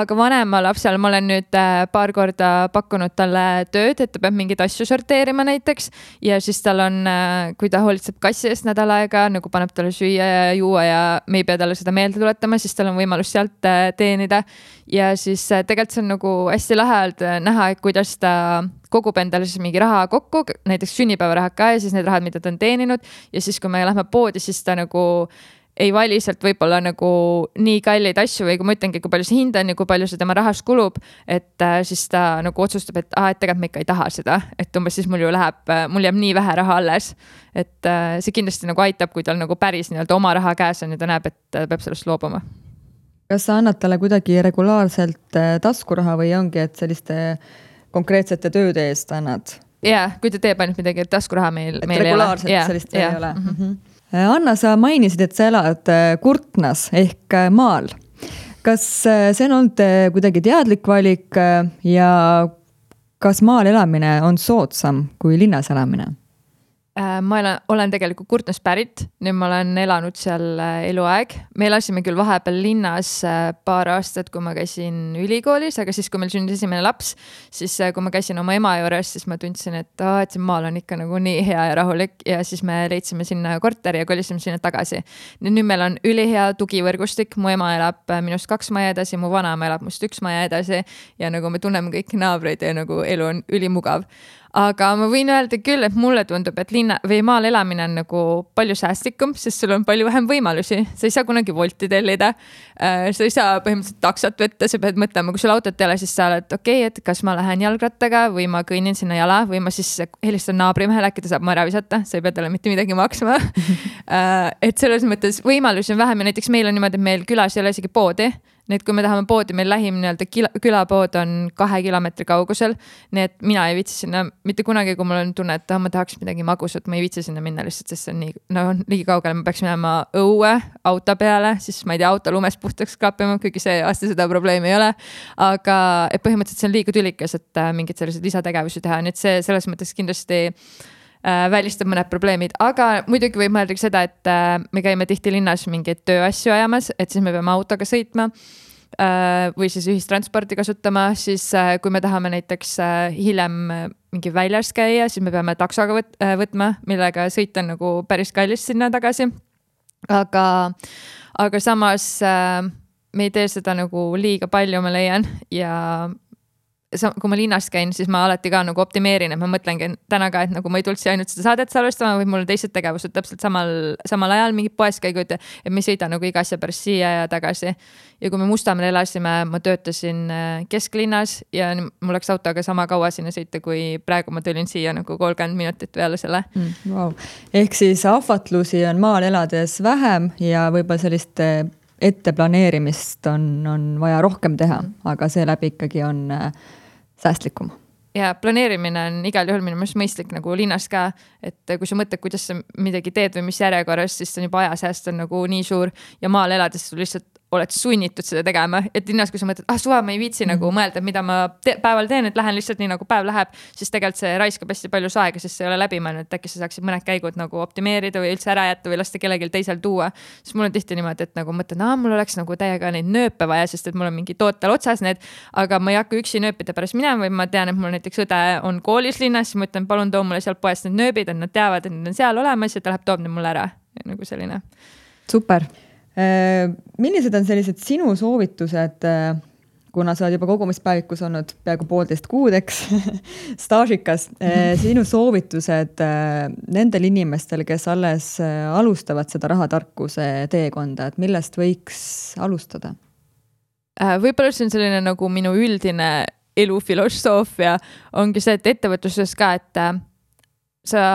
aga vanema lapsel ma olen nüüd paar korda pakkunud talle tööd, et ta peab mingeid asju sorteerima näiteks ja siis tal on, kui ta hoolitseb kassi eest nädal aega, nagu paneb talle süüa ja juua ja me ei pea talle seda meelde tuletama, siis tal on võimalus sealt teenida ja siis tegelikult see on nagu hästi lahelt näha, et kuidas ta kogub endale siis mingi raha kokku, näiteks sünnipäevarahad ka ja siis need rahad, mida ta on teeninud ja siis, kui me lähme poodi, siis ta nagu ei vali sealt võib-olla nagu nii kalleid asju või kui ma ütlengi, kui palju see hind on ja kui palju see tema rahast kulub, et siis ta nagu otsustab, et, ah, et tegelikult ma ikka ei taha seda, et umbes siis mul ju läheb, mul jääb nii vähe raha alles, et see kindlasti nagu aitab, kui tal nagu päris nii-öelda oma raha käes on ja ta näeb, et ta peab sellest loobuma. Kas sa annad talle kuidagi regulaarselt taskuraha või ongi, et selliste konkreetsete tööde eest annad? Jaa, kui ta teeb ainult midagi, et taskuraha meil, et meil regulaarselt ei ole. sellist veel ei ole. Mm-hmm. Anna, sa mainisid, et sa elad Kurtnas ehk maal. Kas see on olnud kuidagi teadlik valik ja kas maal elamine on soodsam kui linnas elamine? Ma olen, olen tegelikult Kurtnas pärit, nüüd ma olen elanud seal eluaeg. Me elasime küll vahepeal linnas paar aastat, kui ma käisin ülikoolis, aga siis, kui meil sündis esimene laps, siis kui ma käisin oma ema juures, siis ma tundsin, et, oh, et see maal on ikka nagu nii hea ja rahulik ja siis me leidsime sinna korteri ja kolisime sinna tagasi. Nüüd meil on ülihea tugivõrgustik, mu ema elab minust kaks maja edasi, mu vanaema elab must üks maja edasi ja nagu me tunneme kõik naabreid ja nagu elu on ülimugav. Aga ma võin öelda küll, et mulle tundub, et linna või maal elamine on nagu palju säästlikum, sest sul on palju vähem võimalusi. Sa ei saa kunagi volti tellida, sa ei saa põhimõtteliselt taksot võtta, sa pead mõtlema, kui sul autot ei ole, siis sa oled okei, okay, et kas ma lähen jalgrattaga või ma kõinin sinna jala või ma siis helistan naabrimehele, äkki ta saab mu ära visata, sa ei pea talle mitte midagi maksma. Et selles mõttes võimalusi on vähem ja näiteks meil on niimoodi, et meil külas ei ole isegi poodi. Nii et kui me tahame poodi, meil lähim nii-öelda külapood on kahe kilomeetri kaugusel, nii et mina ei viitsi sinna mitte kunagi, kui mul on tunne, et ma tahaks midagi magusat, ma ei viitsi sinna minna lihtsalt, sest see on nii, no, liigi kaugele, ma peaks minema õue auto peale, siis ma ei tea, auto lumest puhtaks klappima, kuigi see aasta seda probleemi ei ole, aga et põhimõtteliselt see on liiga tülikas, et mingid sellised lisategevusi teha, nii et see selles mõttes kindlasti välistab mõned probleemid, aga muidugi võib mõelda seda, et me käime tihti linnas mingeid tööasju ajamas, et siis me peame autoga sõitma või siis ühistransporti kasutama, siis kui me tahame näiteks hiljem mingi väljas käia, siis me peame taksoga võt- võtma, millega sõit on nagu päris kallis sinna tagasi. Aga, aga samas me ei tee seda nagu liiga palju, ma leian, ja kui ma linnas käin, siis ma alati ka nagu optimeerin, et ma mõtlengi täna ka, et nagu ma ei tulnud siia ainult seda saadet salvestama, või mul on teised tegevused täpselt samal, samal ajal mingid poeskäigud, et me ei sõida nagu iga asja pärast siia ja tagasi. Ja kui me Mustamäel elasime, ma töötasin kesklinnas ja mul läks autoga sama kaua sinna sõita, kui praegu ma tulin siia nagu kolmkümmend minutit peale selle. Mm, wow. Ehk siis ahvatlusi on maal elades vähem ja võib-olla sellist etteplaneerimist on, on vaja rohkem teha, aga seeläbi ikkagi on säästlikum. Ja planeerimine on igal juhul minu mõttes mõistlik nagu linnas ka, et kui sa mõtled, kuidas sa midagi teed või mis järjekorras, siis on juba ajasääst on nagu nii suur ja maal elades lihtsalt oled sunnitud seda tegema, et linnas, kui sa mõtled, ah suva, ma ei viitsi mm. nagu mõelda, mida ma te- päeval teen, et lähen lihtsalt nii nagu päev läheb, siis tegelikult see raiskab hästi palju aega, sest see ei ole läbi mõelnud, et äkki sa saaksid mõned käigud nagu optimeerida või üldse ära jätta või lasta kellelgi teisel tuua. Siis mul on tihti niimoodi, et nagu mõtlen, ah, mul oleks nagu täiega neid nööpe vaja, sest et mul on mingi tootel otsas need, aga ma ei hakka üksi nööpide pärast minema või ma tean, et mul näiteks õde on koolis linnas, siis ma ütlen, palun too mulle sealt poest need nööbid, et nad teavad, et need on seal olemas ja ta läheb toob need mulle ära. Nagu selline. Super. Millised on sellised sinu soovitused, kuna sa oled juba kogumispäevikus olnud peaaegu poolteist kuud, eks, staažikas, sinu soovitused nendel inimestel, kes alles alustavad seda rahatarkuse teekonda, et millest võiks alustada? Võib-olla see on selline nagu minu üldine elufilosoofia ongi see, et ettevõtluses ka, et sa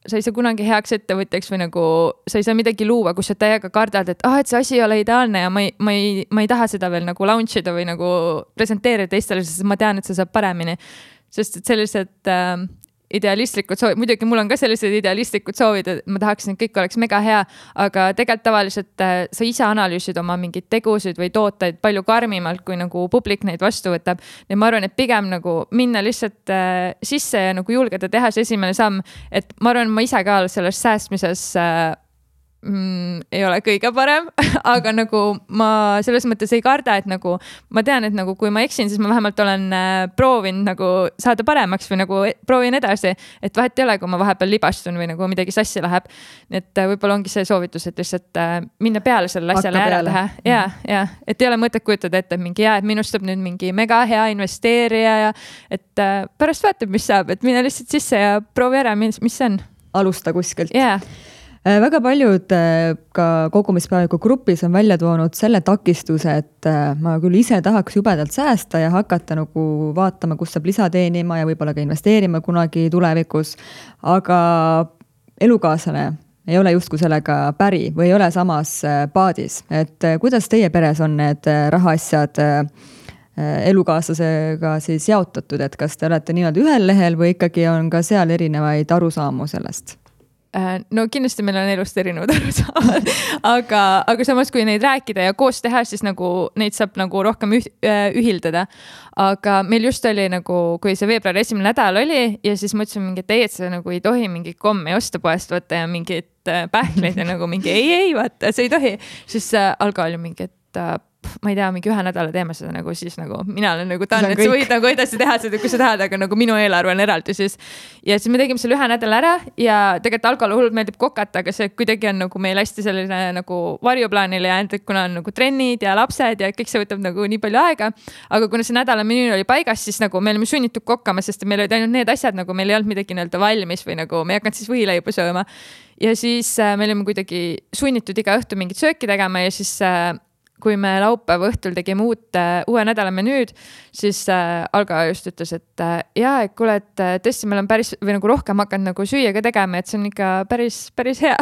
sa ei saa kunagi heaks ettevõtjaks või nagu sa ei saa midagi luua, kus sa täiega kardad, et ah, et see asi ei ole ideaalne ja ma ei, ma ei, ma ei taha seda veel nagu launch ida või nagu presenteerida teistele, sest ma tean, et see saab paremini. Sest et sellised äh, idealistlikud soovid, muidugi mul on ka sellised idealistlikud soovid, et ma tahaksin, et kõik oleks mega hea, aga tegelikult tavaliselt äh, sa ise analüüsid oma mingid tegusid või tooteid palju karmimalt, kui nagu publik neid vastu võtab. Ja ma arvan, et pigem nagu minna lihtsalt äh, sisse ja nagu julgeda teha see esimene samm, et ma arvan, ma ise ka selles säästmises äh, Mm, ei ole kõige parem, aga nagu ma selles mõttes ei karda, et nagu ma tean, et nagu kui ma eksin, siis ma vähemalt olen äh, proovinud nagu saada paremaks või nagu proovin edasi, et vahet ei ole, kui ma vahepeal libastun või nagu midagi sassi läheb. Nii et äh, võib-olla ongi see soovitus, et lihtsalt äh, minna peale selle asjale ära teha. Ja, ja, et ei ole mõtet kujutada ette, et mingi jää, et minust saab nüüd mingi mega hea investeerija ja et äh, pärast vaatab, mis saab, et minna lihtsalt sisse ja proovi ära, mis, mis see on. Alusta kuskilt. Jaa. Väga paljud ka kogumispäeviku grupis on välja toonud selle takistuse, et ma küll ise tahaks jubedalt säästa ja hakata nagu vaatama, kus saab lisa teenima ja võib-olla ka investeerima kunagi tulevikus, aga elukaaslane ei ole justkui sellega päri või ei ole samas paadis. Et kuidas teie peres on need rahaasjad elukaaslasega siis jaotatud, et kas te olete nii-öelda ühel lehel või ikkagi on ka seal erinevaid arusaamu sellest? No kindlasti meil on elust erinevad arusaamad, aga, aga samas kui neid rääkida ja koos teha, siis nagu neid saab nagu rohkem üh, ühildada. Aga meil just oli nagu, kui see veebruari esimene nädal oli ja siis mõtlesin mingi, et ei, et see nagu ei tohi mingi kommi osta poest võtta ja mingid pähkleid ja nagu mingi ei, ei, vaata, see ei tohi. Siis Alga oli mingi, et ma ei tea, mingi ühe nädala teeme seda nagu siis nagu mina olen nagu tahan, et sa võid nagu edasi teha seda, kui sa tahad, aga nagu minu eelarve on eraldi siis. Ja siis me tegime selle ühe nädala ära ja tegelikult Algale hullult meeldib kokata, aga see kuidagi on nagu meil hästi selline nagu varjuplaanile ja et kuna on nagu trennid ja lapsed ja kõik see võtab nagu nii palju aega. Aga kuna see nädala menüü oli paigas, siis nagu me olime sunnitud kokkama, sest meil olid ainult need asjad, nagu meil ei olnud midagi nii-öelda valmis või nagu me ei hakanud siis võileibu sööma. Ja siis äh, me olime kuidagi sunnitud iga õhtu mingit sööki tegema ja siis äh, kui me laupäeva õhtul tegime uut, uue nädala menüüd, siis äh, Alga just ütles, et äh, jaa, et kuule, et tõesti meil on päris või nagu rohkem hakanud nagu süüa ka tegema, et see on ikka päris, päris hea.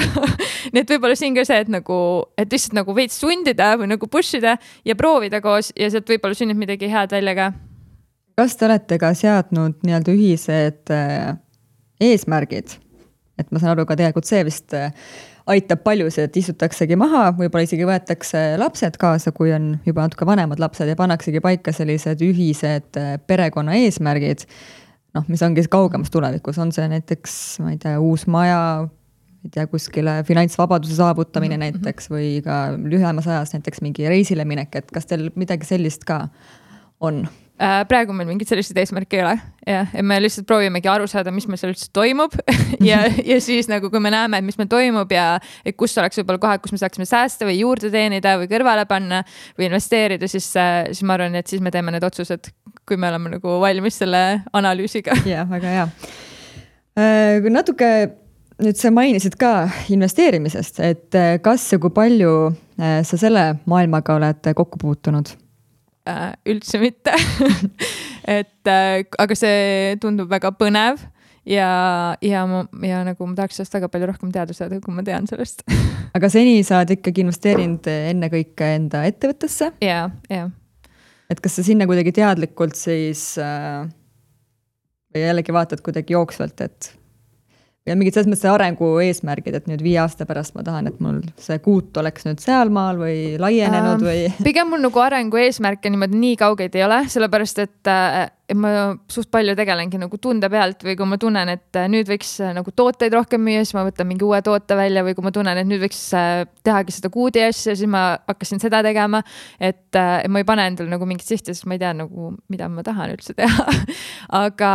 Nii et võib-olla siin ka see, et nagu, et lihtsalt nagu veits sundida või nagu push ida ja proovida koos ja sealt võib-olla sünnib midagi head välja ka. Kas te olete ka seadnud nii-öelda ühised äh, eesmärgid? Et ma saan aru ka tegelikult see vist äh, aitab paljusid, et istutaksegi maha, võib-olla isegi võetakse lapsed kaasa, kui on juba natuke vanemad lapsed ja pannaksegi paika sellised ühised perekonna eesmärgid, noh, mis ongi kaugemas tulevikus, on see näiteks, ma ei tea, uus maja, ei tea, kuskile finantsvabaduse saavutamine mm-hmm. näiteks või ka lühemas ajas näiteks mingi reisile minek, et kas teil midagi sellist ka on? Praegu meil mingid sellised eesmärki ei ole ja, ja me lihtsalt proovimegi aru saada, mis meil seal üldse toimub ja, ja siis nagu kui me näeme, et mis meil toimub ja et kus oleks võib-olla kohad, kus me saaksime säästa või juurde teenida või kõrvale panna või investeerida, siis, siis ma arvan, et siis me teeme need otsused, kui me oleme nagu valmis selle analüüsiga. Jah, väga hea. Kui natuke nüüd sa mainisid ka investeerimisest, et kas ja kui palju sa selle maailmaga oled kokku puutunud? Äh, üldse mitte. et äh, aga see tundub väga põnev ja, ja, ma, ja nagu ma tahaks sellest väga palju rohkem teada saada, kui ma tean sellest. aga seni sa oled ikkagi investeerinud enne kõike enda ettevõttesse? Jaa, jaa. Et kas sa sinna kuidagi teadlikult siis äh, või jällegi vaatad kuidagi jooksvalt, et ja mingid selles mõttes arengu eesmärgid, et nüüd viie aasta pärast ma tahan, et mul see kuut oleks nüüd sealmaal või laienenud või? Pigem mul nagu arengu eesmärke niimoodi nii kaugeid ei ole, sellepärast et äh, ma suht palju tegelengi nagu tunde pealt või kui ma tunnen, et nüüd võiks nagu tooteid rohkem müüa, siis ma võtan mingi uue toote välja või kui ma tunnen, et nüüd võiks tehagi seda kuudi asja, siis ma hakkasin seda tegema, et ma ei pane endale nagu mingit sihti, sest ma ei tea nagu, mida ma tahan üldse teha. aga,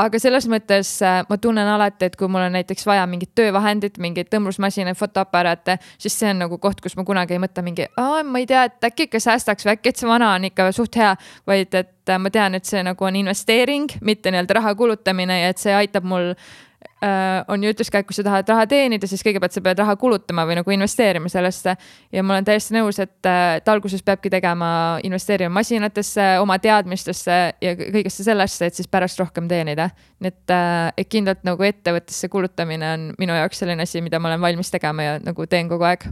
aga selles mõttes ma tunnen alati, et kui mul on näiteks vaja mingit töövahendit, mingit tõmblusmasinaid, fotoaparaate, siis see on nagu koht, kus ma kunagi ei mõtle mingi, ma ei tea, et äkki ikka säästaks või äkki, et see vana on ikka suht hea, vaid et ma tean, et see nagu on investeering, mitte nii-öelda raha kulutamine ja et see aitab mul, äh, on ju ütles ka, et kui sa tahad raha teenida, siis kõigepealt sa pead raha kulutama või nagu investeerima sellesse ja ma olen täiesti nõus, et, et alguses peabki tegema investeerima masinatesse, oma teadmistesse ja kõigesse sellesse, et siis pärast rohkem teenida. Nii et, et kindlalt nagu ettevõttesse kulutamine on minu jaoks selline asi, mida ma olen valmis tegema ja nagu teen kogu aeg.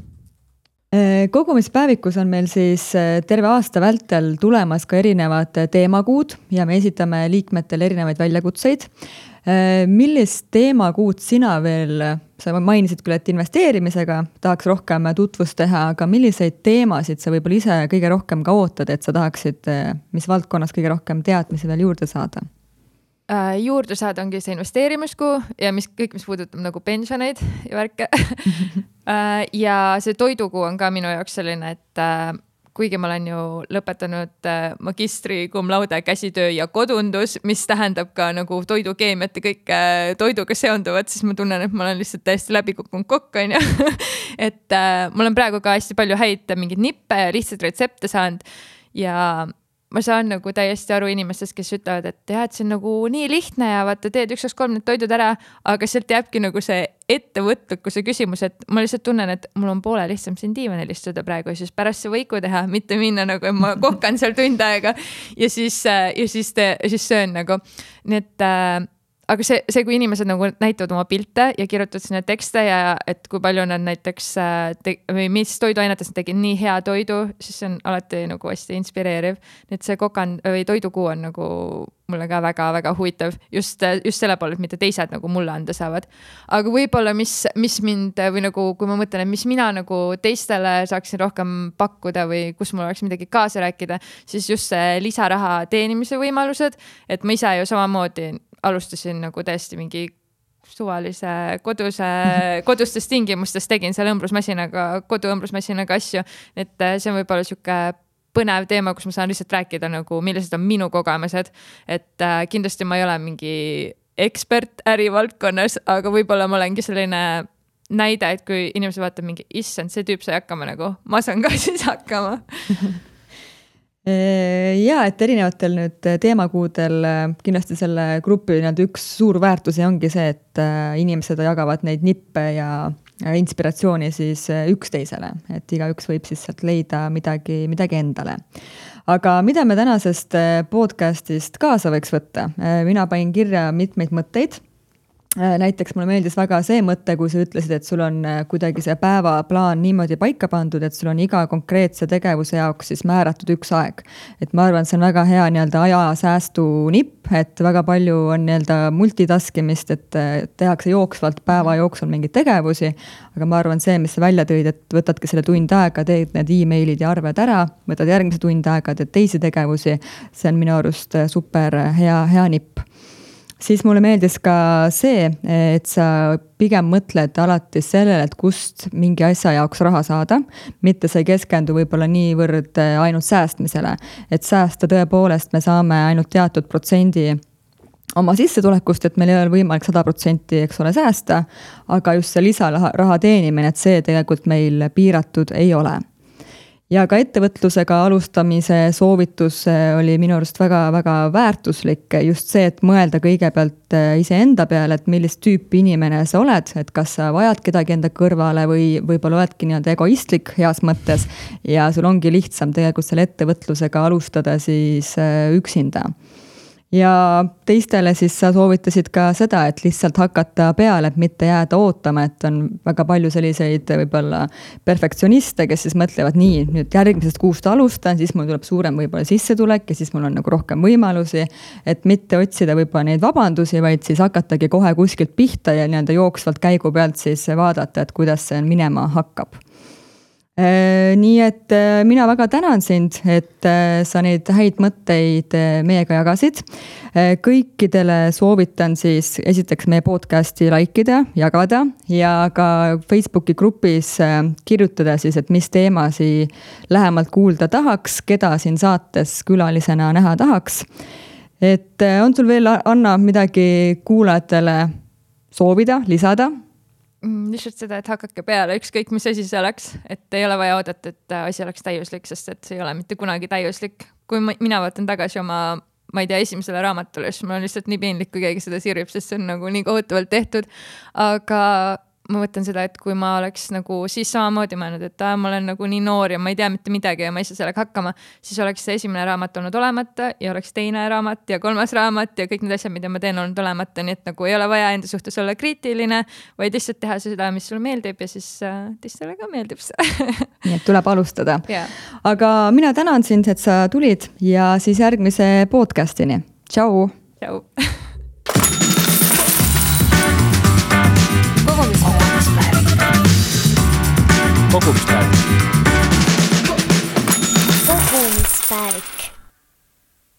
Kogumispäevikus on meil siis terve aasta vältel tulemas ka erinevad teemakuud ja me esitame liikmetele erinevaid väljakutseid. Millist teemakuud sina veel, sa mainisid küll, et investeerimisega tahaks rohkem tutvust teha, aga milliseid teemasid sa võib-olla ise kõige rohkem ka ootad, et sa tahaksid, mis valdkonnas kõige rohkem teadmisi veel juurde saada? Juurde saada ongi see investeerimiskuu ja mis, kõik, mis puudutab nagu pensioneid ja värke. ja see toidukuu on ka minu jaoks selline, et kuigi ma olen ju lõpetanud magistri cum laude käsitöö ja kodundus, mis tähendab ka nagu toidukeemiat ja kõik toiduga seonduvat, siis ma tunnen, et ma olen lihtsalt täiesti läbi kukkunud kokk, on ju. et mul on praegu ka hästi palju häid mingid nippe ja lihtsalt retsepte saanud ja ma saan nagu täiesti aru inimestest, kes ütlevad, et jah, et see on nagu nii lihtne ja vaata, teed üks, kaks, kolm need toidud ära, aga sealt jääbki nagu see ettevõtlikkuse küsimus, et ma lihtsalt tunnen, et mul on poole lihtsam siin diivanil istuda praegu ja siis pärast see võiku teha, mitte minna nagu, et ma kokkan seal tund aega ja siis, ja siis, te, siis söön nagu. Nii et äh, aga see, see, kui inimesed nagu näitavad oma pilte ja kirjutavad sinna tekste ja et kui palju nad näiteks te, või mis toiduainetes nad tegid nii hea toidu, siis see on alati nagu hästi inspireeriv. Nii et see kokan või toidukuu on nagu mulle ka väga-väga huvitav just, just selle poole, et mitte teised nagu mulle anda saavad. Aga võib-olla mis, mis mind või nagu, kui ma mõtlen, et mis mina nagu teistele saaksin rohkem pakkuda või kus mul oleks midagi kaasa rääkida, siis just see lisaraha teenimise võimalused, et ma ise ju samamoodi alustasin nagu täiesti mingi suvalise koduse, kodustes tingimustes tegin seal õmblusmasinaga, koduõmblusmasinaga asju, et see on võib-olla siuke põnev teema, kus ma saan lihtsalt rääkida nagu, millised on minu kogemused, et äh, kindlasti ma ei ole mingi ekspert ärivaldkonnas, aga võib-olla ma olengi selline näide, et kui inimesed vaatab mingi, issand, see tüüp sai hakkama nagu, ma saan ka siis hakkama. Ja, et erinevatel nüüd teemakuudel kindlasti selle grupi üks suur väärtusi ongi see, et inimesed jagavad neid nippe ja inspiratsiooni siis üksteisele, et igaüks võib siis sealt leida midagi, midagi endale. Aga mida me tänasest podcastist kaasa võiks võtta? Mina panin kirja mitmeid mõtteid. Näiteks mulle meeldis väga see mõte, kui sa ütlesid, et sul on kuidagi see päevaplaan niimoodi paika pandud, et sul on iga konkreetse tegevuse jaoks siis määratud üks aeg. Et ma arvan, see on väga hea nii-öelda ajasäästu nipp, et väga palju on nii-öelda multitaskimist, et tehakse jooksvalt päeva jooksul mingeid tegevusi, aga ma arvan see, mis sa välja tõid, et võtadki selle tund aega, teed need e-mailid ja arved ära, võtad järgmise tund aega, teed teisi tegevusi, see on minu arust super hea, hea nipp. Siis mulle meeldis ka see, et sa pigem mõtled alati sellele, et kust mingi asja jaoks raha saada, mitte sa ei keskendu võib-olla niivõrd ainult säästmisele. Et säästa tõepoolest me saame ainult teatud protsendi oma sissetulekust, et meil ei ole võimalik sada protsenti, eks ole, säästa, aga just see lisaraha teenimine, et see tegelikult meil piiratud ei ole. Ja ka ettevõtlusega alustamise soovitus oli minu arust väga-väga väärtuslik just see, et mõelda kõigepealt iseenda peale, et millist tüüpi inimene sa oled, et kas sa vajad kedagi enda kõrvale või võib-olla oledki nii-öelda egoistlik heas mõttes ja sul ongi lihtsam tegelikult selle ettevõtlusega alustada siis üksinda. Ja teistele siis sa soovitasid ka seda, et lihtsalt hakata peale, et mitte jääda ootama, et on väga palju selliseid võib-olla perfektsioniste, kes siis mõtlevad nii, nüüd järgmisest kuust alustan, siis mul tuleb suurem võib-olla sissetulek ja siis mul on nagu rohkem võimalusi, et mitte otsida võib-olla neid vabandusi, vaid siis hakatagi kohe kuskilt pihta ja nii-öelda jooksvalt käigu pealt siis vaadata, et kuidas see minema hakkab. Nii et mina väga tänan sind, et sa neid häid mõtteid meiega jagasid. Kõikidele soovitan siis esiteks meie podcasti likeida, jagada ja ka Facebooki grupis kirjutada siis, et mis teemasi lähemalt kuulda tahaks, keda siin saates külalisena näha tahaks. Et on sul veel, Anna, midagi kuulajatele soovida, lisada? Lihtsalt seda, et hakake peale, ükskõik mis asi see oleks, et ei ole vaja oodata, et asi oleks täiuslik, sest et see ei ole mitte kunagi täiuslik. Kui mina vaatan tagasi oma, ma ei tea, esimesele raamatule, siis mul on lihtsalt nii piinlik, kui keegi seda sirvib, sest see on nagu nii kohutavalt tehtud. Aga ma võtan seda, et kui ma oleks nagu siis samamoodi mõelnud, et ah, ma olen nagu nii noor ja ma ei tea mitte midagi ja ma ei saa sellega hakkama, siis oleks see esimene raamat olnud olemata ja oleks teine raamat ja kolmas raamat ja kõik need asjad, mida ma teen olnud olemata, nii et nagu ei ole vaja enda suhtes olla kriitiline, vaid lihtsalt teha seda, mis sulle meeldib ja siis äh, teistele ka meeldib see. Nii et tuleb alustada. Yeah. Aga mina tänan sind, et sa tulid ja siis järgmise podcastini. Tšau! Tšau! Kogumispäevik. Kogumispäevik.